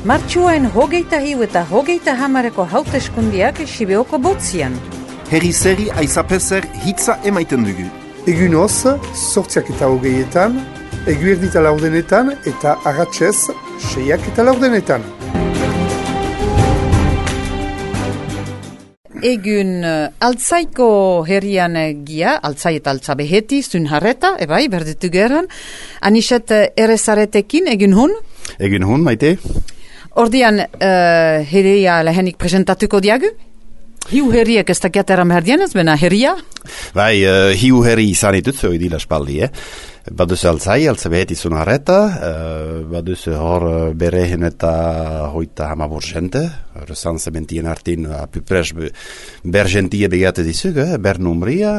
Martxuain 21 eta 30 hauteskundiak Sibeoko botzian. Herri-zeri aizapezer hitza emaiten dugu. Egun hoz, 8:20, eguerdita 4 eta arratsez 6:4. Egun altzaiko herrian gia, altzai eta altzabeheti, zunharreta, ebai, berditu geran. Aniset erezaretekin, egun hun? Egun hun, maite. Ordian herria lehenik presentatuko diagu? Hiu herriek ez dakiatera merdienez, bena herria? Bai, hiu herri izan itutzu idila spaldi, Baduz altzai, altzabeheti zunharreta, baduz hor berehen eta hoita hamabur jente, resan sementien artin apupres bergentie begate dizug, ber numria,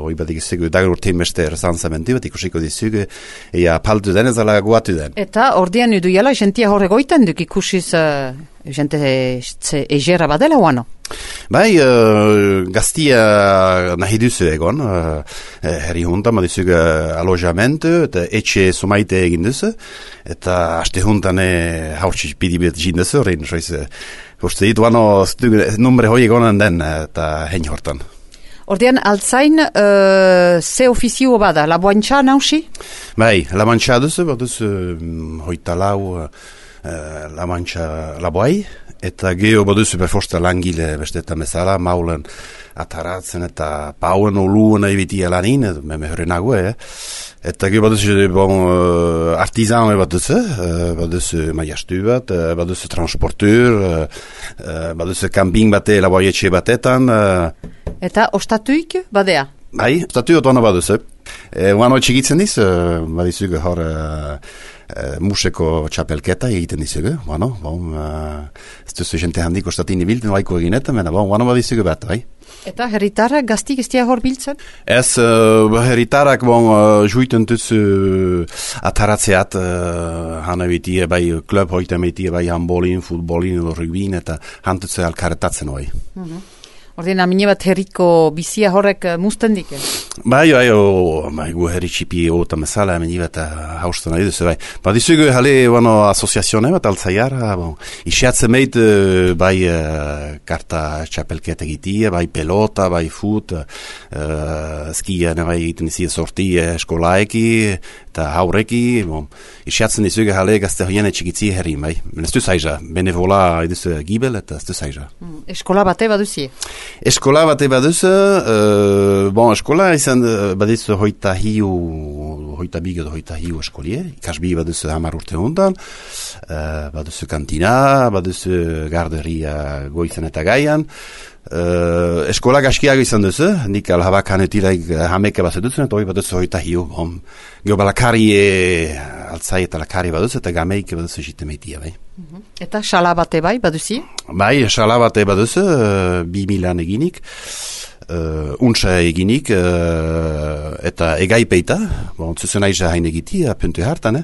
hoi bat ikizug dagur timeste resan sementi bat ikusiko dizug, ea paltu den ezala guatu den. Eta ordean idu jala jentia horre goiten duk ikusiz jente egera badela oano? Bai, gaztia nahi duzu egon, herri hunta, madizug alojamentu, eta etxe sumaite egin duzu, eta aste huntan haurtsi pidibet jinduzu, horrein, uste ditu ano numre hoi egonan den, eta hein hortan. Ordean, altzain, ze ofizio bada, laboantxa nausi? Bai, laboantxa duzu, baduzu hoita lau laboantxa laboai, eta geho baduzu perfosta langile besteta mesala, maulen ataratzen eta pauen oluen ebitia lanin, meme horrenago, Eta geho baduzu artizan baduzu maiastu bat, baduzu transporteur, baduzu camping bate, laboaietxe batetan. Eta ostatuik badea? Bai, ostatu otona baduzu. Uano txigitzen diz, badizug hor museko txapelketa egiten dizugu, ez duzu jente handik ostatini bilten baiko eginetan, uano badizugu bat, bai. Eta herritarak gaztik ez dia hor biltzen? Ez, herritarak juiten duzu ataratzeat hana bitie, bai klub hoita bitie, bai handbolin, futbolin, rugbin, eta hantutze alkaretatzen hoi. Ordena, mine bat herriko bizia horrek musten dike? Bai, gu herri txipi ota mesala, mine bat hausten nahi duzu, bai. Badizugu hale asoziazione bat altzaiara, isiatzen meit, bai karta txapelketa egitie, bai pelota, bai fut, skia nabai egiten izi sorti eskolaeki, eta haureki, isiatzen dizugu hale gazte hoiene txikitzi herri, bai. Ez du zaiza, benevola eduzu gibel, eta ez du zaiza. Eskola bate baduzie? Eskola bate baduzu, eskola izan baduzu hoita bigo hoita hiu eskolie, ikasbi baduzu 10 urte hondan, baduzu kantina, baduzu garderia goizen eta gaian, eskola gaskiago izan duzu, nik alhabak hanetilaik hameke bat dutzen, eta hoi baduzu hoita hiu, geho balakari altzai eta lakari baduzu, eta gameik baduzu jitemeitia, bai. Eta xala bate bai, baduzi? Bai, xala bate baduzu, 2000 eginik, untsa eginik, eta egaipeita, zuzen aiza hain egiti, apuntu hartan,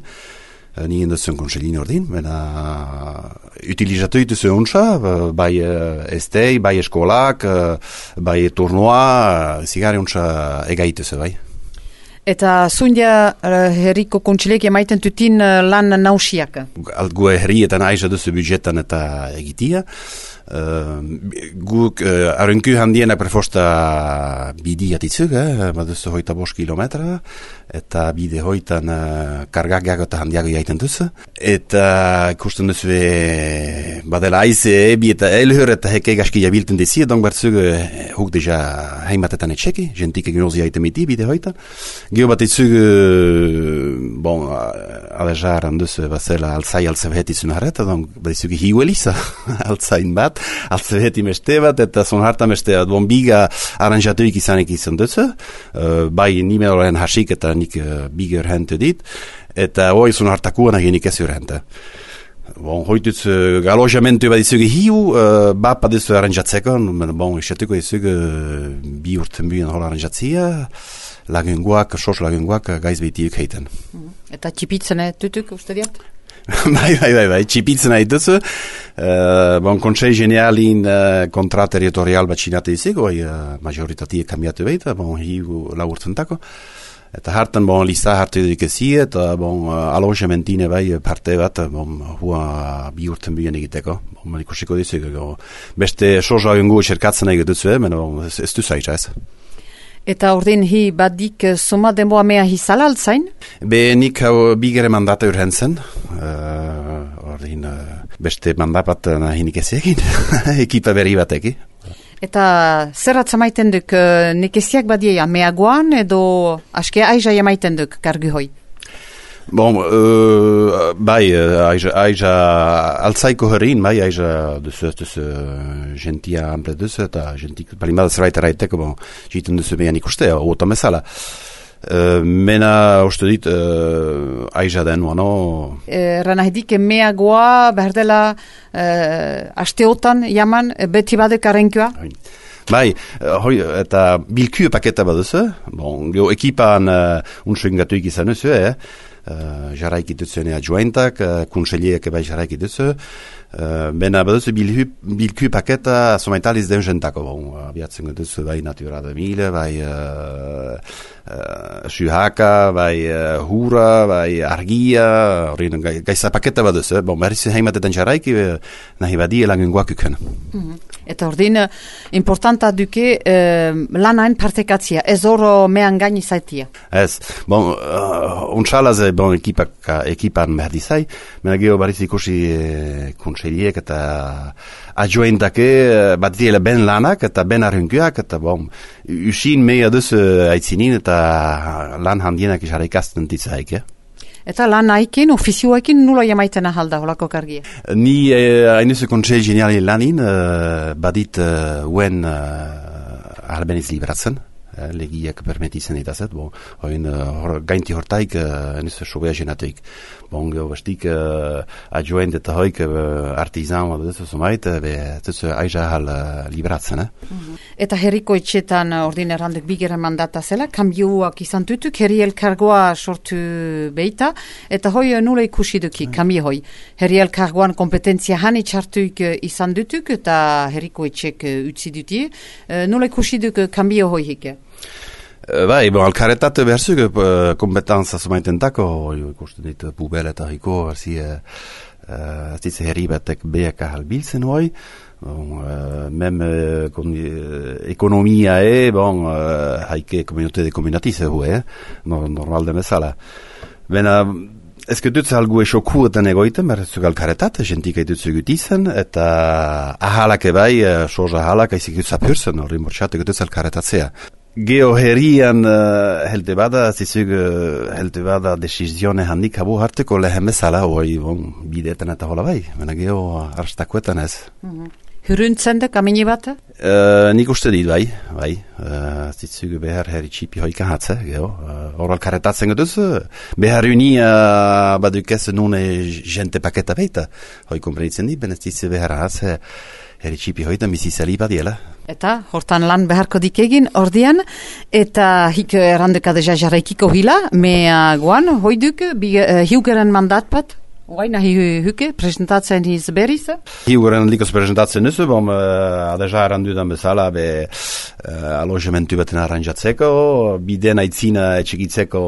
nien duzen konselin ordin, utilizatu dituzu untsa, bai estei, bai eskolak, bai turnua, zigari untsa egaituzu, bai. Eta zundia herriko kontsilek emaiten tutin lan nausiak? Gu herrietan aiza duzu budgetan eta egitia. Guk arrenku handiena prefosta bidi atitzuk, baduzu hoita 5 kilometra, eta bide hoitan kargak eta handiago jaiten duzu. Eta ikusten duzu badela aize ebi eta elhur eta heke gaski jabilten dizi, donk bertzuk huk deja heimatetan etxeki, jentik egin ozi jaiten miti bide hoitan. Gio bat itzug, alejar handuzu bazela altzai altzabeheti zunareta, donk bat itzug hiu elisa altzain bat, altzabeheti meste bat, eta zon harta meste bat, biga aranjatuik izanik izan duzu, bai nime horren hasik eta nik biga urhentu dit, eta hoi zon hartakuan agenik ez urhenta. Hoituz alojamentu bat izugu hiu, bat bat izugu aranjatzeko, isatuko izugu bi urten buien hor aranjatzia, lagunguak, sos lagunguak gaiz behitiuk heiten. Eta txipitzen tutuk uste diat? Bai, txipitzen haituzu. Konsei genialin kontra territorial bat xinate izigo, majoritatie kambiatu behita, hiu laurtzentako. Eta hartan, lista hartu edukezi, eta alogementine bai parte bat, hua bi urten bihen egiteko. Ikusiko dizu, beste soja gengu txerkatzen egitu ez du zaitza ez. Eta ordin hi badik soma denboa mea hizala altzain? Nik hau bigere mandata urhentzen. Ordin beste mandapat nahinik ez egin. Ekipa berri bateki. Eta zer atzamaiten duk nekeziak badia meagoan edo askea aiza jamaiten duk kargu hoi? Bai, aiza altzaiko herrin, bai, aiza duzu gentia ample duzu, eta gentik palimada zerbait eraiteko, jiten duzu behan ikustea, oota mesala. Mena uste dit aiza den, Ranahidik meagoa behar dela asteotan jaman beti badek arenkua? Bai, eta bilkue paketa baduzu, geho ekipan unsuin gatuik izan duzu, jaraik itutzen adjuentak, kunseliek bai jaraik itutzen, bena baduzu bilkue paketa somaitaliz den jentako, biatzen duzu bai Natura 2000, bai Suhaka, bai Hura, bai Argia, gaisa paketa baduzu, berriz heimatetan jaraik, nahi badi elangen guakuken. Eta ordin, importanta duke lanain partekatzia, ez oro mehan gaini zaitia. Ez, untxalaz ekipan behar dizai, mena geho bariz ikusi kontseliek eta adjoentake bat diela ben lanak eta ben arrunkuak, eta usin meia duz aitzinin eta lan handienak isara ikasten ditzaik, Eta lan haikin, ofizioekin nula jamaiten ahalda holako kargia? Ni hainuz kontsel geniali lanin, badit uen albeniz libratzen, legiak permititzen ditazet, gainti hortaik hainuz sobea genateik. Geho bastik adjoent eta hoik artizan zumait, aiza ahal libratzen. Eta herriko etxetan ordin errandek bigeren mandata zela, kambioak izan dutuk, herri elkargoa sortu beita, eta hoi nula ikusi duki, kambio hoi. Herri elkargoan kompetentzia hani txartuik izan dutuk, eta herriko etxek utzi duti, nula ikusi duk kambio hoi hike. Bai, alkaretate behar zuk kompetentza sumaitentako, ikusten dit pubel eta hiko, zitze herri batek beak ahal biltzen hoi, mem ekonomia haike komunite de komunatize hue, normal demezala. Bena, ezke dutze algu esokuetan egoiten, behar zuk alkaretate, jentik haitutzu gutizen, eta ahalak ebai, soja ahalak, haizik zapurzen, horri mortxatek dutze alkaretatzea. Geho herrian helte bada, zizug helte bada desizione handik habu harteko lehen bezala, bideetan eta hola bai, mena geho arstakuetan ez. Huruntzen da kamini bat? Nik uste dit bai, zizug behar herri txipi hoika hatze, geho, oral karetatzen geduz, behar unia badukez nune jente paketa beita, hoi komprenitzen dit, benez zizug behar hatze, herri txipi hoitan bizizali badiela. Eta, hortan lan beharko dikegin, ordian, eta hik errandeka deja jarraikiko hila, mea guan, hoiduk, hiugeren mandat bat? Oai, nahi huke, presentatzen hiz berriz? Hiugeren likos presentatzen nuzu, adeja errandudan bezala, alogementu baten arranjatzeko, biden aitzina etxegitzeko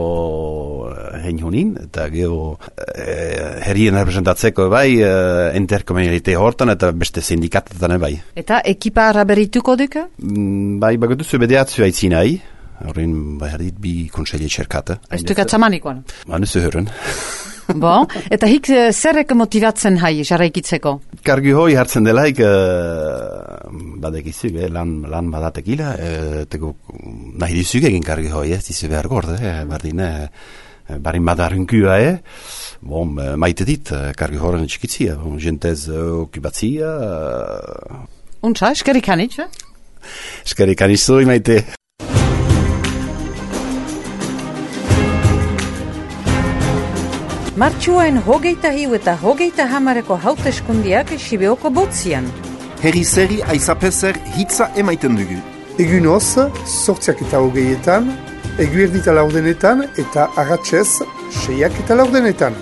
hein honin, eta geho herrien representatzeko bai, interkomunite hortan, eta beste sindikatetan bai. Eta ekipa araberituko duka? Bai, bagotuzu bedeatzu aitzinai, horrein behar dit bi konselie txerkata. Ez dukatzamanikoan? Nuzu hören. Eta hik zerrek motivatzen hai jarraikitzeko? Kargu hoi hartzen delaik badekizuk, lan badatekila, nahi dizuk egin kargu hoi, dizu behar gorde, barin badarrunkua, maite dit, kargu horren txikitzia, jentez okupatzia. Untsa, eskerikanitz? Eskerikanitz zui maite. Martxuain 23 eta 30 hauteskundiak Sibeoko botzian. Herri zeri aizapezer hitza emaiten dugu. Egunoz, 8:20, eguerdita 4 eta arratsez 6:40.